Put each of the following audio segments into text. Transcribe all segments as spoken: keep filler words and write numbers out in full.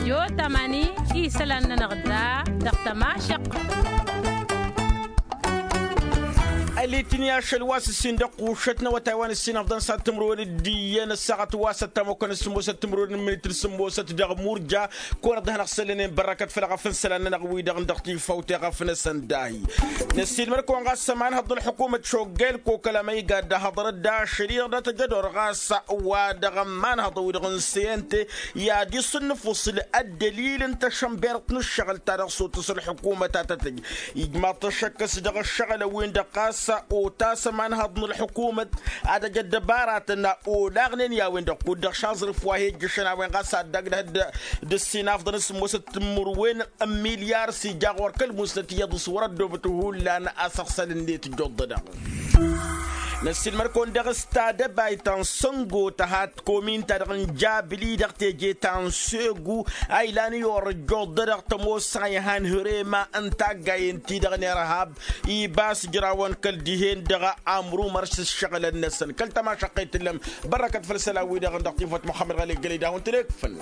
Jot amani isălan-nănăɣ da dăɣ-tămašăq. Ălitni ašăl wa s-ǝssin dăɣ-kušăt n-awătay wa n-ǝssin ăfḍăn s-ad-timǝrwen d-iyyăn ăssaɣăt wa s-ăttamokăn s-sǝmmosăt timǝrwen n-minit n-sǝmmosăt dăɣ-murja. Kăwăn-dd hanăɣ-săllănen bărrăkăt făll-eɣăf n-isălan-nănăɣ wi-dăɣ n-dăɣ-tifawt eɣăf n-asăndahi. Năssiilmăd-kăwăn ɣas ămanhăḍ n-ălḥukumăt šoggel kokăl amăyga dd-ahăḍrăt d-ašăl-i-dăɣ tăjădor ɣas wa dăɣ-ămanhăḍ-wi-dăɣ n-sente i-ad-iṣǝnnǝf usǝl ăddălil n-tašănbert n-ǝššăɣǝl ta dăɣ-s otăs ălḥukumăt a tăt-tăj. Ijmaḍ-t ăššăk s-dăɣ ǝššăɣǝlăn-win-dăɣ ɣas otas ămanhăḍ n-ălḥukumăt ad-ăj ăddăbaratăn olaɣnen i-a-wen-dăɣ kud-dăɣ šaẓrǝf wa hi-ăjjăšăn a-wen ɣas ad-dd-agdăh d-ǝssin afḍăn s-sǝmmosăt timǝrwen n-milyar s-ija ɣur-kăl-musnăt iyyăḍ s-wăr-ăddoobăt hullan asăɣsăl-net ǝjjuḍ-dăɣ. Năssiilmăd-kăwăn daɣ s-tadăbayt ta n-săngo tăhat komin-ta-dăɣ n-jabli-dăɣ teje ta n-segu a ilan i-orăjjoḍ-dăɣ tămoos a ihan hărema n-taggayen-ti-dăɣ n-irhab. Ibas ǝjrawăn kăl-dihen-dăɣ amrumăr s-ǝššăɣǝlăn-năsăn kăl-tamašăqqet tǝllăm. Bărrăkăt făll-isălan-wi-dăɣ n-dăɣ-tinfăt muxămmăd ɣăli gălăy d-ad-hawăn-tănekfăl.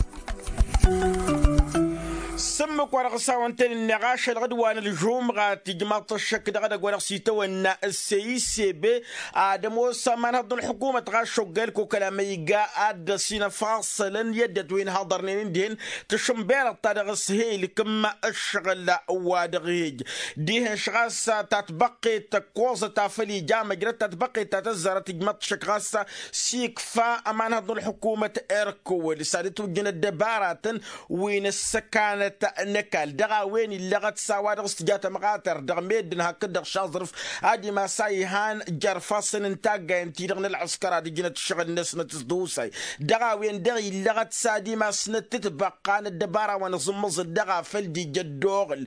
S-ǝmmǝk wa dăɣ-s hawăn-tăn-ǝnneɣ ašăl ɣǝd wa n-ălžumɣa tijmaḍ-t ăššăk dăɣ-edăgg wa dăɣ-s itawănna ăsseyisebe ad-ămoos ămanhăḍ n-ălḥukumăt ɣas šoggel kokăl amăyga ad-dd-ăsinăfaṣălăn i-ăddinăt wi n-haḍărnen ǝndihen tǝšǝnberăḍ ta dăɣ-s he-ilkǝm ǝššăɣǝl wa dăɣ-ihǝj. Dihen-š ɣas tatbăqqet tăkkoẓăt afăl ija măjrăd tatbăqqet ta tăzzarăt ijmăḍ-t šăk ɣas s-ikfa ămanhăḍ n-ălḥukumăt erkăwăl s-ad-ǝtwǝjjăn ăddăbaratăn wi n-ăssăkanăt n-ăkall dăɣ-a-wen illăɣăt s-a-wa dăɣ-s tǝja tămɣatăr dăɣ-meddǝn hakd-dăɣ šaẓrǝf ad-imas a ihan jer-ifassăn n-taggayen-ti-dăɣ n-ălɣǝskăr ad-ǝjnăt ǝššăɣǝl-năsnăt s-dd-usay. Dăɣ-a-wen-dăɣ illăɣăt s-ad-imasnăt tǝbăqqa n-ăddăbara wa n-aẓǝmmăẓǝl dăɣ-a făl d-ija ăddoɣǝl.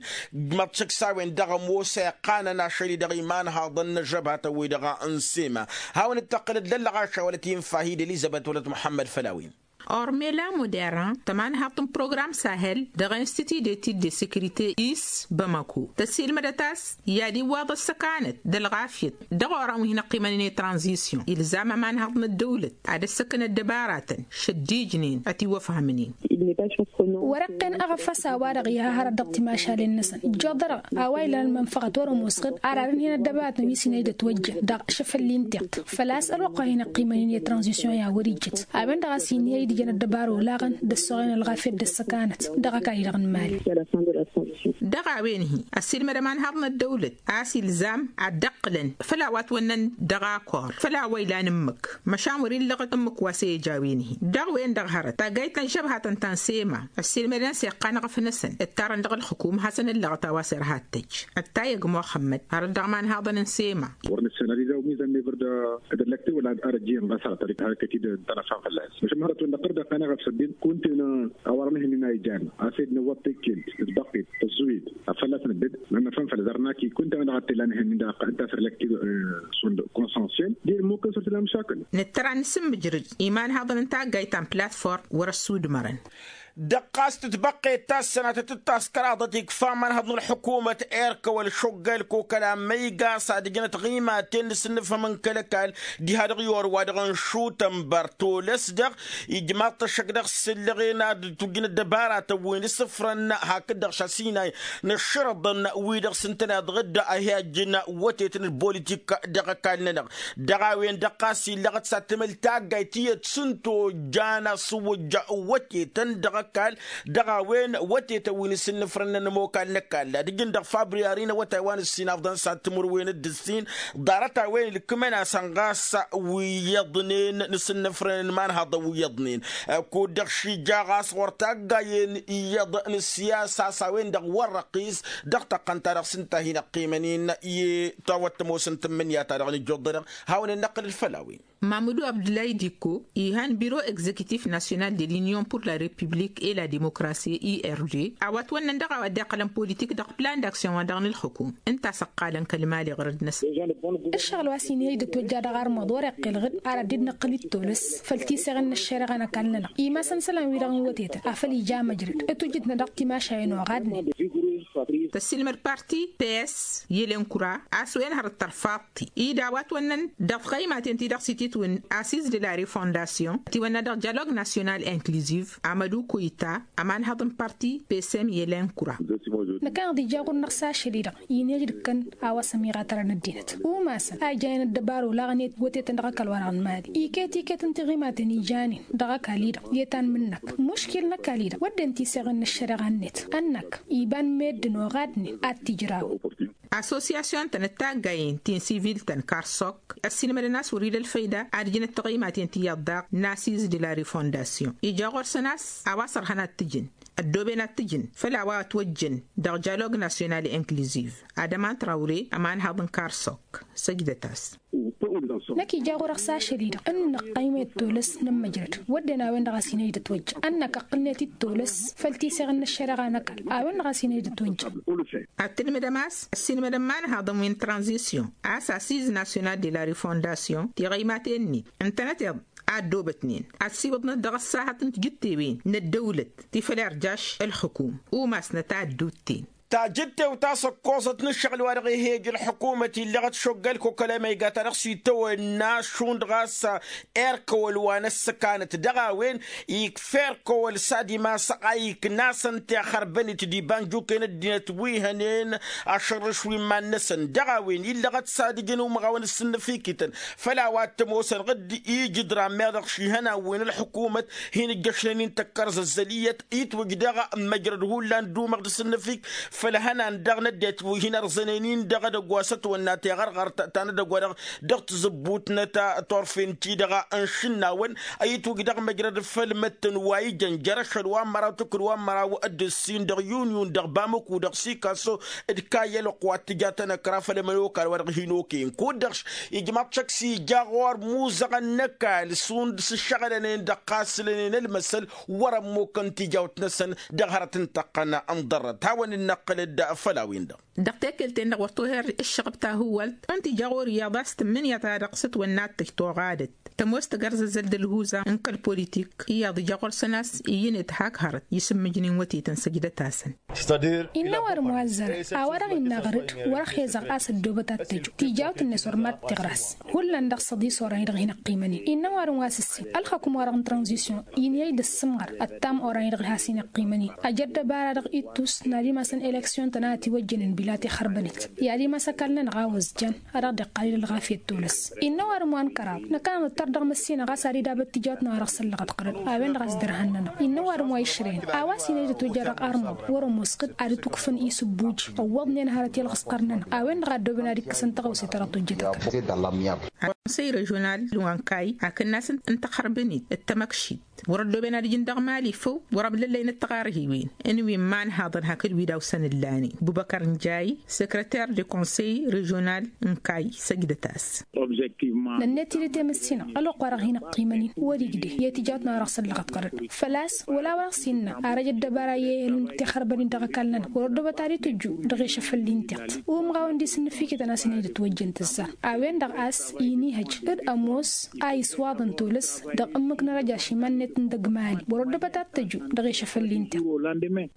Măḍšăk s-a-wen-dăɣ ămoos a iqqanăn ašăl-i-dăɣ imanhaḍăn n-ažăbhatăn-wi-dăɣ n-sema. Hawăn-dd-tăqqǝlăd lăllăɣaša wăla t-infa hi-dd-elizăbet wăla t-muḥămmăd făll-a-wen. Ormela modern tămanhaḍt n-program sahel dăɣ-institut d-etid de securite is bamako tăsilmădăt a-s i-ad-iwwaḍ ăssăkanăt d-ălɣafyăt dăɣ-orăn wi hin-ăqqimănen i-tranzisyon ilzam ămanhaḍt n-ăddăwlăt ad-ăssăkăn ăddăbaratăn šăddijnen ătiwăfhămnen. Wăr-ăqqen aɣăfas a-wa-dăɣ iha hărăt dăɣ-timašalen-năsăn ǝjjoḍărăɣ a-wa ilan ălmănfăɣăt wăr-ămoosăɣ-dd ar arǝnhen ăddăbaratăn wi s-inăy d-ătwăjjăn dăɣ-išăfălli n-tiɣt făl-a-s ălwăqq wa hin-ăqqimănen i-tranzisyon i-ad-wăr-ijjăt a-wen-dăɣ a-s inhăy d-ijăn ăddăbara olaɣăn d-ăssoɣen ălɣafyăt d-ăssăkanăt dăɣ-ăkall-i-dăɣ n-imali. Dăɣ-a-wen-hi ăssiilmăd ămanhaḍ n-ăddăwlăt a-s ilzam ad-dd-ăqqǝlăn făll-a-wa ătwănnăn dăɣ-akor făll-a-wa ilan ǝmmǝk măšan wăr-illăɣăt ǝmmǝk wa s-e-ija a-wen-hi. Dăɣ-wen-dăɣ hărăt taggayt ta n-žăbhatăn ta n-sema ăssiilmădăn s-iqqan aɣăf-năsăn ǝttarăn dăɣ-ǝlxǝkum hasăn-ǝllăɣăt a-wa s-irha ad-tăjj ăttayăg muxămmăd hărăt dăɣ-imanhaḍăn n-sema. Wăr nǝssanaliza umizăn n-evrda d-ăllăkte wăla arăjjiyăn ɣas hărăt ad-dd-hărăt kăt-dd-dd-tănăfan fălla-s măšan hărăt wăr năqqăr dd-ăqqan aɣăf săddin kunta-en a-wa dăɣ-nǝhǝnnin a ijan a-s ed năwwăḍ tekkelt d-ăbăqqet tăzzuwed afăl a-s nădded nănăfan făll-ăzărnaki kunta-en dăɣ-ad-t-illa nǝhǝnnin dăɣ-ăqqan ǝnta a-s ăllăkte. Sund consănsyel d-e-nǝmmukăn săr tǝla măšakăl. Nǝttăr ad-nǝsǝmmǝjrǝd imanhaḍăn n-taggayt ta n-platform wăr-ăssudmărăn. Dăɣ-ɣas tǝtbăqqet ta s-sănatăt d-taskăraḍăt ikfa ămanhăḍ n-ălḥukumăt erk ăwăl šoggăl kokăla măyga s-ad-ǝjnăt ɣimaten n-asǝnnǝfhăm n-kăl-ăkall diha-dăɣ i-orwa dăɣ-nǝšutănbăr tolăs-dăɣ ijmaḍ-t ăššăk dăɣ-sǝllăɣen ad-tujjǝn ăddăbaratăn wi n-asǝfrăn hakd-dăɣ šasinay n-ăššărăḍăn wi-dăɣ s-ǝntăneḍ ɣǝdda a hi-ajjǝn wătetăn d-politik dăɣ-ăkall-nănăɣ. Dăɣ-a-wen-dăɣ ɣas illăɣăt s-ad-tǝmǝl taggayt tiyyăt s-ǝnta ojjan asǝwwǝjja wătetăn dăɣ-ăkall dăɣ-a-wen wătetăn wi n-asǝnnǝfrănnăn ămokal n-ăkall ad-ǝjǝn dăɣ-fabri arin awătay wa n-ǝssin afḍăn s-ad-timǝrwen d-ǝssin. Ḍarăt-a-wen ǝlkǝmăn-asăn ɣas wi iyyăḍnen n-asǝnnǝfrănnăn imanhăḍăn wi iyyăḍnen kud-dăɣ šija ɣas ɣur-taggayen iyyăḍ n-ǝssiyasa a-s a-wen-dăɣ wăr-răqqis dăɣ-tăqqăn-ta-dăɣ s-ǝnta a hin-ăqqimănen i-tawăt tămoos n-tǝmmǝnǝya-ta-dăɣ n-ǝjjuḍ-dăɣ. Hawăn-in-năqqǝl d-făll-a-wen. Mamudu abdulay diko ihan biro egzekitif nasyonal de l'union pur la republik et la demokrasi i r d a-wa ătwănnăn dăɣ-a-wa dd-iqqălăn politik dăɣ-plan d-aksyon wa dăɣ-nǝlxǝkum ǝnta a-s ǝqqalăn kăl-mali ɣărăd-năsăn. Ǝššăɣǝl wa s-inhăy d-ătwăjja dăɣ-armăḍ wăr-iqqǝl ɣǝd ar ad-dd-năqqǝl d-tolăs făll-tiseɣen n-ăššăreɣa n-ăkall-nănăɣ imasăn isălan-wi-dăɣ n-wătetăn afăl ija măjrăd ătwǝjjǝtnăt dăɣ-timašayen oɣadnen. Tăssiilmăd parti ps i-elenkura a-s wen hărăt tărfaḍt-i-dd a-wa ătwănnăn dăɣ-tɣăymaten ti-dăɣ s-ititwǝn assiz de la refondasyon ătiwănna dăɣ-dialog nasyonal inkliziv amădu koyta ămanhăḍ n-parti pesem i-elenkura. Năkk-anăɣ d-ija ɣur-năɣ s-ašăl-i-dăɣ inǝj d-kăn a-wa s-ămiɣatărăn ăddinăt umasăn a ijayăn ăddăbar olaɣăn i-wătetăn dăɣ-ăkall-wa-dăɣ n-imali iket iket n-tiɣimaten ijanen dăɣ-ăkall-i-dăɣ i-tanmǝn-năk muškil n-ăkall-i-dăɣ wădden tisăɣen n-ăššăreɣa-net ănnăk iba n-meddǝn oɣadnen ad-t-ijraw. Assosyasyon-tăn d-taggayen ti n-sivil-tăn karsok ăssiilmădăn a-s wăr-ila ălfăyda ad-ǝjnăt tiɣăymaten tiyyăḍ daɣ n-assiz de la refondasyon ija ɣur-săn a-s a-wa s-ărhăn ad-t-ǝjǝn ăddooben ad-t-ǝjǝn făll-a-wa ătwăjjăn dăɣ-dialog nasyonal inkliziv. Ad-ăman trawre ămanhăḍ n-karsok săjdăt-as. Năkk ija ɣur-dăɣ s-ašăl-i-dăɣ ǝnnăɣ ăqqăymet tolăs n-ămmăjrăd wădden a-wen-dăɣ a-s inăjdăt wăjja ănnăk ăqqǝlnet-dd tolăs făll-tisăɣ n-ăššăreɣa n-ăkall a-wen-dăɣ a-s inăjdăt wăjja. Ad-tǝlmǝdăm a-s ăssiilmădăm imanhaḍăn wi n-tranzisyon a-s assiz nasyonal de la refondasyon tiɣăymaten-net ǝntănăteḍ a ăddoobătnen ăssiwǝḍnăt dăɣ-ăssahăt n-tijǝttewen n-ăddăwlăt ti făll-irjaš ǝlxǝkum umasnăt a ădduutten. Tajǝttewt a-s ǝkkoẓăt n-ǝššăɣǝl-wa-dăɣ ih'-e ăj ǝlḥǝkumăt illăɣăt šoggăl kokălămăyga ta dăɣ-s itawănna šund ɣas erkăwăl wa n-ăssăkanăt dăɣ-a-wen ikfa erkăwăl s-ad-imasăɣ a iknasăn tixărbănit d-iba n-juke n-ăddinăt wi hănen ašărrǝš wi n-iman-năsăn dăɣ-a-wen illăɣăt s-ad-ǝjǝn umăɣawăn ǝssǝnnăfikităn făll-a-wa t-ămoosăn ɣǝdd ijǝdran meɣ dăɣ-šihănan wi n-ălḥǝkumăt hin-ǝjjăšnen-in tăkkărzăzzăl iyyăt itwǝj daɣ măjrăd hullan d-umăɣ d-asǝnnăfik făll-ihănan daɣ n-ăddinăt wi hin-ărẓănen-in dăɣ-edăgg wa s-ătwănna teɣărɣărt ta n-edăgg wa-dăɣ dăɣ-tizǝbbut-năt turfen-ti-dăɣ n-išǝnnawăn itwǝj dăɣ-măjrăd făll-imǝttǝn wa ijăn jer-ašăl wa n-măraw tǝkǝl wa n-măraw d-ǝssin dăɣ-yunyun dăɣ-bamǝku dăɣ-sikaso d-kayălăɣ wa t-tǝja tanăkra făll-emănokal wa dăɣ-hin-okăyăn kud-dăɣ š-ijmaḍ šăkk s-ija ɣur-imuzăɣăn n-ăkall šund s-ǝššăɣǝlănen dăɣ-iqqasǝlănen ălmăsăl wăr-ămmukăn tijawt-năsăn dăɣ-hărăt n-tăqqăn n-ḍarrăt hawăn-dd-năqqǝlăd făll-a-wen-dăɣ. Dăɣ-tekǝlt-en-dăɣ wăr toher ǝššăɣăb tahǝwwălt ǝnta ija ɣur-i iyyăḍ a-s tǝmmǝnǝya-ta-dăɣ s-ătwănna ad-tǝj toɣadăt tămoos tagărzăzzăl d-ălhuza n-kăl-politik iyyăḍ ija ɣur-săn a-s iyyǝnet hak hărăt isǝmmǝjnen wătetăn săjdăt-asăn. Innă ăwadǝm wa ăzzărăn a-wa-dăɣ innă aɣrǝd wăr-ăxezăɣ a-s ăddoobăt ad-t-ăjju tijawt-net wăr mad-tiɣras hullan dăɣ-săḍis orăn-i-dăɣ hin-ăqqimăn-in innă ăwadǝm wa s-ǝssin ălxăkum-wa-dăɣ n-tranzisyon inăyăj d-ăssǝmɣăr ăttam orăn-i-dăɣ has-in-ăqqimăn-in ăj ăddăbara-dăɣ ittus n-ad-imasăn eleksyon-tăn a ătiwăjjănen bila tixărbănit i-ad-imas ăkall-nănăɣ a ozjan ad-dăɣ-dd-iqqalǝl ălɣafyăt tolăs. Innă ăwadǝm wa n-kăraḍ năkkăneḍ nǝttăr dăɣ-măssinăɣ a-s ad-idabăt tijawt-nănăɣ dăɣ-săllăɣăt ɣărăd a-wen-dăɣ a-s dărhăn-nănăɣ innă ăwadǝm wa išrăyăn a-wa s-inăjdăt ojja dăɣ-armăḍ wăr-ămoos ɣǝd ad-dd-ukfǝn isǝbbuj ăwwăḍnen hărăt i-ălɣǝsqăr-nănăɣ a-wen-dăɣ a ăddooben ad-ikkăsăn tăɣawse ta dăɣ-tojjăt ăkall. Konsăy režional n-wankay hakd n-asǝn n-taxărbǝnit d-tamăkšit wăr-ăddooben ad-ǝjǝn dăɣ-mali făw wăr-ămlăllăynăt taɣarhiwen n-wi n-imanhaḍăn hakd wi dawsăn ǝllanen bubăkăr n-jay săkrăter de konsăy režional n-kay săjdăt-as. Nănnet-dd i-temǝssinăɣ ălwăqq-wa-dăɣ hin-ăqqimăn-in wăr-igdeh i-tijawt-nănăɣ dăɣ-săllăɣăt ɣărăd făl-a-s wăla wa dăɣ-s innă arăj ăddăbara i-elǝm tixărbănin dăɣ-ăkall-nănăɣ wăr ăddobăt ad-itǝjju dăɣ-ešăfăl-i n-tiɣt umɣawăn d-isǝnnǝfikităn a-s inăjdăt wăjjăn tǝzzar a-wen-dăɣ a-s inihăj d-ămoos a iswaḍăn tolăs dăɣ-ǝmmǝk n-arăj ašimăn-net n-dăgg-mali wăr-ăddobăt ad-tǝjju dăɣ-ešăfăl-i n-tiɣt.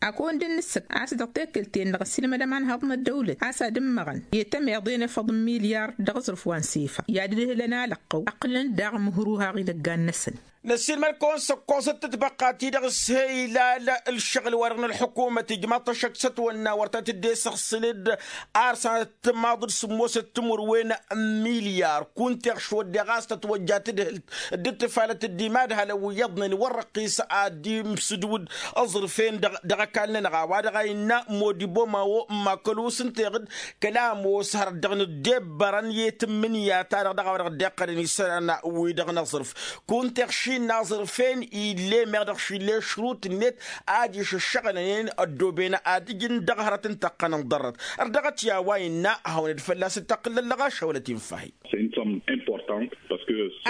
Ad-kăwăn-dd-nǝssǝk a-s dăɣ-tekǝlt-en-dăɣ ăssiilmădăm a ănhăḍ n-ăddăwlăt a-s ad-ǝmmăɣăn i-tămeḍe n-efăḍ n-milyar dăɣ-aẓrǝf wa n-sefa i-ad-ǝdhǝlăn alăqqăw ăqqǝlăn daɣ mǝhruhaɣ idăggan-năsăn. Năssiilmăd-kăwăn s-ǝkkoẓăt tǝtbăqqa-ti-dăɣ s-he-ilal ǝlšăɣǝl-wa-dăɣ n-ălḥukumăt ijmaḍ-t ăššăk s-ătwănna wăr ta tǝdde-săɣsǝl-dd ar sănăt timaḍ d-sǝmmosăt timǝrwen n-milyar kunta iɣš wădden ɣas tătwăjja tǝdhǝlt dd-tifalăt d-imadhalăn wi iyyăḍnen wăr-răqqis ad-imsǝdwǝd aẓrǝf-en dăɣ-ăkall-nănăɣ a-wa dăɣ-a innă modibo mawo n-makălus ǝnta iɣǝd kăla ămoos hărăt dăɣ-nǝddebbărăn i-tǝmmǝnǝya-ta-dăɣ dăɣ-a-wa dăɣ-dd-iqqălăn isălan wi-dăɣ n-aẓrǝf kunta iɣš innă aẓrǝf-en ill'-e meɣ dăɣ-išǝl i-ašrut-net ad-išǝššăɣǝlăn-en ăddooben ad-ǝjǝn dăɣ-hărăt n-tăqqăn n-ḍarrăt. Ărdăɣăt i-a-wa innă ad-hawăn-dd fălla-s d-taqqǝllăt lăɣašăwălăt-in fahim.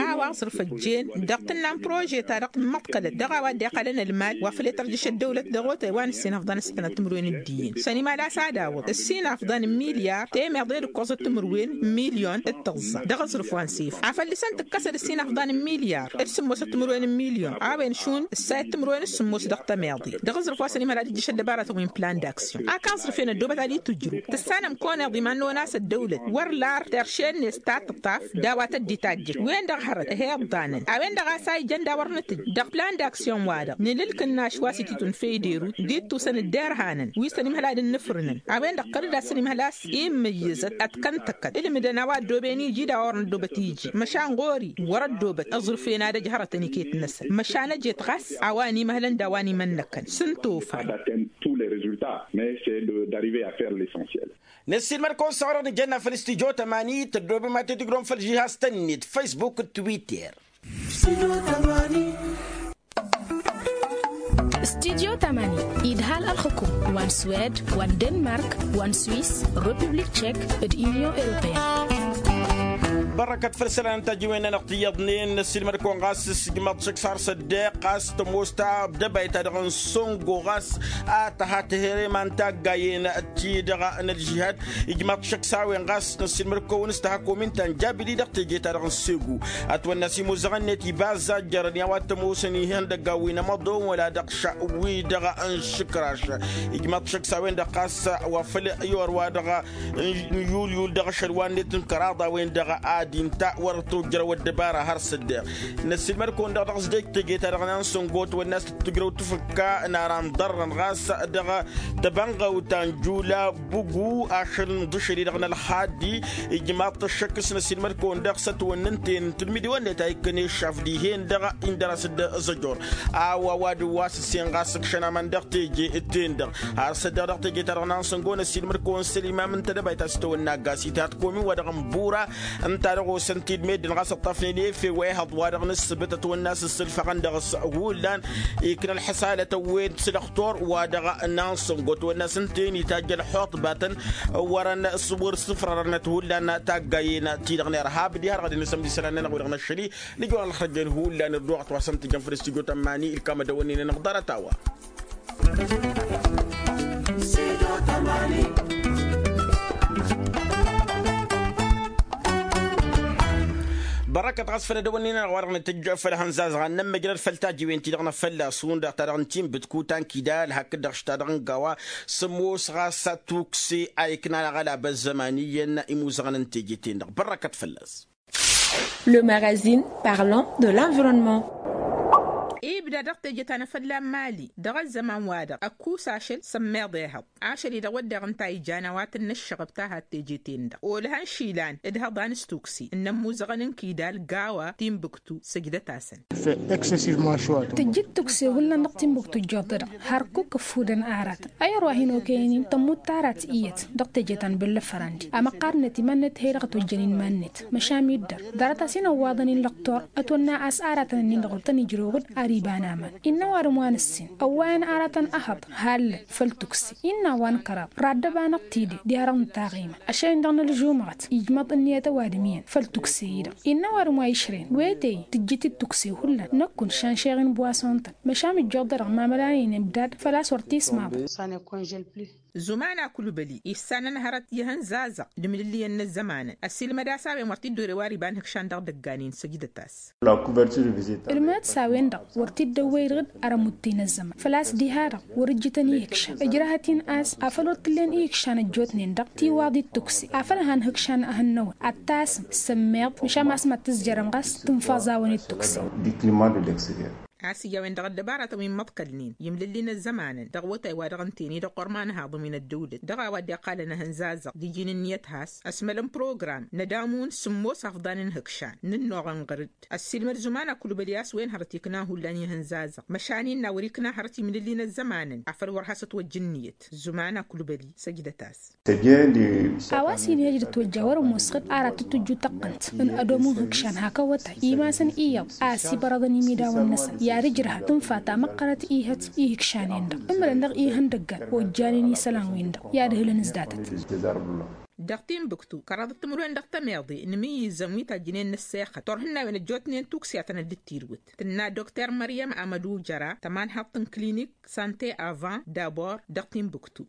A-wa aẓrǝf ăjjeen dăɣ-tǝnna n-prože-ta-dăɣ tǝmmăḍkălăt dăɣ-a-wa dd-iqqălăn ălmal wa făl i-tărjǝš ăddăwlăt dăɣ-otay wa n-ǝssin afḍăn s-sănăt timǝrwen d-iyyăn sănimad a-s ad-awǝḍ ǝssin afḍăn n-milyar temeḍe d-ǝkkoẓăt timǝrwen n-milyon d-tăẓẓa dăɣ-aẓrǝf wa n-sef afăl dăɣ-săn tǝkkăsăd ǝssin afḍăn n-milyar d-sǝmmosăt Timǝrwen n-milyon a-wen šund ǝssayăt timǝrwen s-sǝmmos dăɣ-tămeḍe. Dăɣ-aẓrǝf wa s-ănimhăl ad-ǝjjǝš ăddăbarătăn wi n-plan d-aksyon a kaẓrǝfen ăddoobăt ad-itǝjrǝw tǝssanăm koneḍ iman n-onas ăddăwlăt wăr lar terše-net ta tǝṭṭaf d-a-wa tădditajjăt wen-dăɣ hărăt ăhiḍḍanăn a-wen-dăɣ a-s a ijăn d-a wăr nǝtǝj dăɣ-plan d-aksyon-wa-dăɣ. Nǝlǝlk ǝnnaš wa s-ititun feydărut d-ittusăn dd-irhanăn wi s-ănimhăl ad-ǝnnǝfrǝnăn a-wen-dăɣ kăl-dd a-s ănimhăl a-s immǝyyǝzăt ad-kăn-tăkkăt ǝlmǝdăn a-wa ăddooben iji d-a-wa wăr năddoobăt iji. Măšan ɣur-i wăr-ăddoobăt aẓrǝf-en ad-ăj hărătăn iket-năsăn măšan ăjet ɣas a-wa ănimăhlăn d-a-wa n-imănnăkăn s-ǝntufa. Tous les résultats mais c'est de d'arriver à faire l'essentiel. Năssiilmăd-kăwăn s-a-wa-dăɣ nǝjănna făll-studyo tămani tăddoobem ad-t-tǝjrǝwăm făll-žihaz-tăn-net facebook d-twitter. Studyo tămani idhal ălxǝkum wa n-swed wa n-denmark wa n-swiss, republik tšek d-union europeen. Bărrăkăt făll-isălan n-tajǝwen-nănăɣ tiyyăḍnen năssiilmăd-kăwăn ɣas s-ijmaḍ šăkk s-har s-ăddeq ɣas tămoos ta d-ăbayt-ta-dăɣ n-săngo ɣas a tăha tăhere iman taggayen-ti-dăɣ n-ălžihad. Ijmaḍ šăkk s-a-wen ɣas năssiilmăd-kăwăn s-tăha komin ta n-jabili dăɣ-teje-ta-dăɣ n-segu ătwănna s-imuzăɣăn-net ibazza ăjjărăn i-a-wa t-ămoosăn ihăndăggan wi n-amăḍon wăla dăɣ-ša wi-dăɣ n-išǝkraš. Ijmaḍ šăkk s-a-wen-dăɣ ɣas wa făl i-orwa dăɣ-n yulyul dăɣ-ašăl wa-net n-kăraḍ a-wen-dăɣ ad-inta wăr tojjărăw ăddăbara har s-ăddeɣ. Năssiilmăd-kăwăn-dăɣ dăɣ-s dej teje-ta-dăɣ n-ansăngot wănna s-tǝttǝjrăw tǝfǝkka n-ara n-ḍarrăn ɣas dăɣ-tăbănɣăwt ta n-jula bugu ašăl n-iḍǝšăl-i-dăɣ n-ălxaddi. Ijmaḍ-t ăššăk s-năsiilmăd-kăwăn-dăɣ s-ătwănna ǝnta-en n-tǝlmǝdiwăn-net a ikkăn eššaf dihen-dăɣ indăr-as-dd ăẓăjor a-wa ăwadǝm wa s-ǝssen ɣas ǝkšăn aman dăɣ-ten-dăɣ. Har s-ăddeɣ dăɣ-teje-ta-dăɣ n-ansăngo năsiilmăd-kăwăn săl imam ǝnta d-ăbayt a-s tăwănna ăggas ithat komin wa dăɣ-n bura ǝnta dăɣ-osăn-t-dd meddǝn ɣas ǝṭṭafnen efe wa ihăḍ wa dăɣ-nǝssǝbǝt ătwănna s-ǝssǝlfăɣăn dăɣ-s hullan. Ikna ălḥăsalăt ăwwen s-dăɣ-tor wa dăɣ-nansăngo ătwănna s-ǝnta-en itajj ălxuṭbatăn wărăn s-wăr-sǝfrărănăt hullan taggayen-ti-dăɣ n-irhab diha-dăɣ ad-inǝsăm d-isălan-nănăɣ wi-dăɣ năššăli. Nǝjwăr ălxărjăn hullan ădduɣăt wa s-ăntǝjăn făll-studyo tămmani ǝlkam ad-dăwănnen-anăɣ ḍarăt-a-wa. Bărăkăt ɣas făll-edăwănnin-anăɣ wa dăɣ-nǝtǝjj făll-ihănzazăɣ ad-nămmăjrăd făll-tajiwen-ti-dăɣ n-afălla-s hundăɣ ta dăɣ-n timbǝtkut ta n-kidal hakd-dăɣ šta dăɣ-n gawa. Sămoos ɣas tukse a iknan aɣălab ăzzăman iyyăn imuzăɣăn n-teje-ten-dăɣ bărăkăt fălla-s. Le magazine parlant de l'environnement. Ibda dăɣ-teje ta n-afălla n-mali dăɣ-ăzzăman-wa-dăɣ ăkkus ašăl s-ămmiḍ ehăḍ ašăl-i-dăɣ wădden ǝnta a ijan a-wa tǝnnă ǝššăɣăb ta had-teje-ten-dăɣ olhan išilan d-ihăḍan s-tukse n-inămmuzăɣăn n-kidal gawa timbuktu săjdăt-asăn. Tǝjjǝd tukse hullan dăɣ-timbuktu ǝjjoḍ-dăɣ hărkuk ǝffudăn aratăn ayăr wa hin-okăyăn-in tămmut tarat iyyăt dăɣ-teje ta n-băllăfărandi amăqqar-net iman-net he-dăɣ ătwăjjăn inman-net măšan iddăr ḍarăt-as-in ăwwaḍăn-in lăqtor ătwănna a-s aratăn-nin-dăɣ wăr tăn-ijrăw ɣǝd ar iba n-aman. Innă ăwadǝm wa nǝssin ăwwayăn aratăn ăhăḍ hallăn făll-tukse innă a-wa n-kăraḍ raddăb-anăɣ tide diha-dăɣ nǝtaɣ iman ašăl-in-dăɣ n-ălžumɣăt ijmăḍ ǝnniyăt ăwadǝm iyyăn făll-tukse-i-dăɣ. Innă ăwadǝm wa išren wete-i tǝjjǝt-dd tukse hullan năkkun šanšeɣ-in buwason-tăn măšan ijjoḍ-dăɣ mamălan-in ibdad făl-a-s wăr t-ismaḍăn. Zuman akulbăli issanăn hărăt i-ihănzazăɣ d-imlǝlliyăn n-ăzzămanăn ăssiilmăd a-s a-wen wăr t-dd-orew ar iba n-ihǝkšan dăɣ-idăggan-in săjdăt-as. Ǝlmǝdăt s-a-wen-dăɣ wăr t-dd-ăwwăy-dăɣ-dd ara muttǝy n-ăzzăman făl-a-s diha-dăɣ wăr-ǝjjǝtăn ihǝkšan ǝjrahăt-in a-s afăl wăr t-ǝllen ihǝkšan ăjjootnen-dăɣ tiwaḍit tukse afăl han ihǝkšan ad-hănnăwăn ad-tasǝm s-ămmiḍ măšan ma s-mad-tǝzjărăm ɣas tǝnfăẓ a-wen d-tukse. A-s ija a-wen-dăɣ ăddăbaratăn wi n-imăḍkălnen i-imlǝlli n-ăzzămanăn dăɣ-awătay wa dăɣ-ǝnta-en-i d-ăqqurma n-ahaḍ wi n-ăddăwlăt dăɣ-a-wa dd-iqqalăn ahǝnzazăɣ d-iji n-ǝnniyăt has-ăsmălăn program n-ad-amun sǝmmos afḍan n-ihǝkšan n-ǝnnuɣăn ɣăr-dd ăssiilmăd zuman akulbăli a-s wen hărăt iknan hullan i-ihǝnzazăɣ măšan innă wăr-ikna hărăt imlǝlli n-ăzzămanăn afăl wăr has-ătwăjj ǝnniyăt zuman akulbăli săjdăt-as. A-wa s-inhăj d-ătwăjja wăr-ămoos ɣǝd ara tǝtwǝjju tăqqǝnt n-ădomu n-ihǝkšan hak awătay imasăn iyyăḍ a ăsibărăḍăn imidawăn-năsăn i-ad-ǝjrăhăt tǝnfa ta măqqărăt ihăt ihǝkšan-en-dăɣ ǝmrăn dăɣ-ihăndăggan ojjanen isălan-win-dăɣ i-ad-hǝlăn s-datăt. Dăɣ-tinbǝktu kăraḍăt timǝrwen dăɣ-tămeḍe n-imǝyyǝzăn wi tajjǝnen n-ăssexăt turhǝnnawen ăjjootnen tukse a tănăt dd-tirwǝt tǝnna dokter măryăm amădu jăra tămanhaḍt n-klinik sante avant dabor dăɣ-tinbǝktu.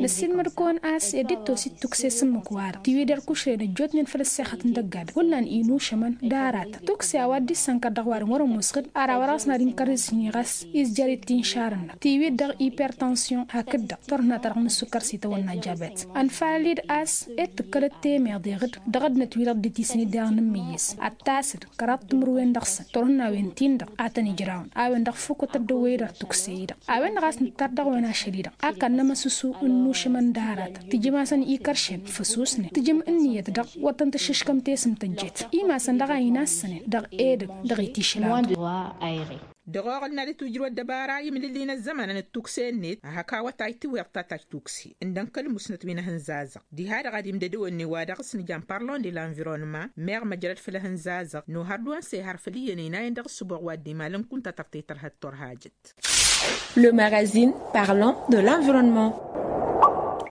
Năssiilmăd-kăwăn a-s ed dd-tosit tukse s-ǝmmǝk-wa-dăɣ tiwǝy d-ărkušren ăjjootnen făll-ăssexăt n-dăgg-adǝm hullan inušămăn d-aratăn tukse a-wa dd-issănkăr dăɣ-ăwadǝm wăr-ămoos ɣǝd ara wăr-ɣas n-ad-inkăr d-isǝnni ɣas izjăr-dd tinšarăn-năk tiwǝy-dd dăɣ-ipertănsyon hakd-dăɣ turhǝnna-ta-dăɣ n-ǝssukăr s-itawănna jabet. Ănfalăn-dd a-s ed tǝkkălăt temeḍe ɣǝd dăɣ-ăddinăt-wi-dăɣ dd-tisǝn-dd dăɣ-nǝmmǝyyǝs ad-tasǝd kăraḍ timǝrwen dăɣ-săn turhǝnnawen-tin-dăɣ a tăn-ǝjrawăn a-wen-dăɣ făw kăt-ăddăwwăy-dd ărtukse-i-dăɣ a-wen-dăɣ a-s nǝttar dăɣ-wen ašăl-i-dăɣ a kănnăm ăsusu n-inušămăn d-aratăn tǝjǝm-asăn ikaršen făsus-net tǝjǝm ǝnniyăt-dăɣ wăr tăn-tǝššǝškăm tesǝm tăjjet imasăn dăɣ-a hin-assănen dăɣ-edăgg dăɣ-itišǝlawăn. Dăɣ-oɣǝl n-ad-itwǝjrǝw ăddăbara imlǝlli n-ăzzămanăn d-tukse-net a hak awătay tiwweḍ tatajj tukse ǝndăn kăl-musnăt wi n-ehǝnzazăɣ diha-dăɣ ad-imdădăwănnen wa dăɣ-s nǝjan parlon de l-anvirăwnăma meɣ măjrăd făll-ehǝnzazăɣ n-ohăr d-wa n-sehăr făll-iyyăn inayăn dăɣ-ăssǝboɣ wa dd-imalăn kunta tărtăy tărha d-turhajăt. Le magazine parlon de l-anvirăwnăma.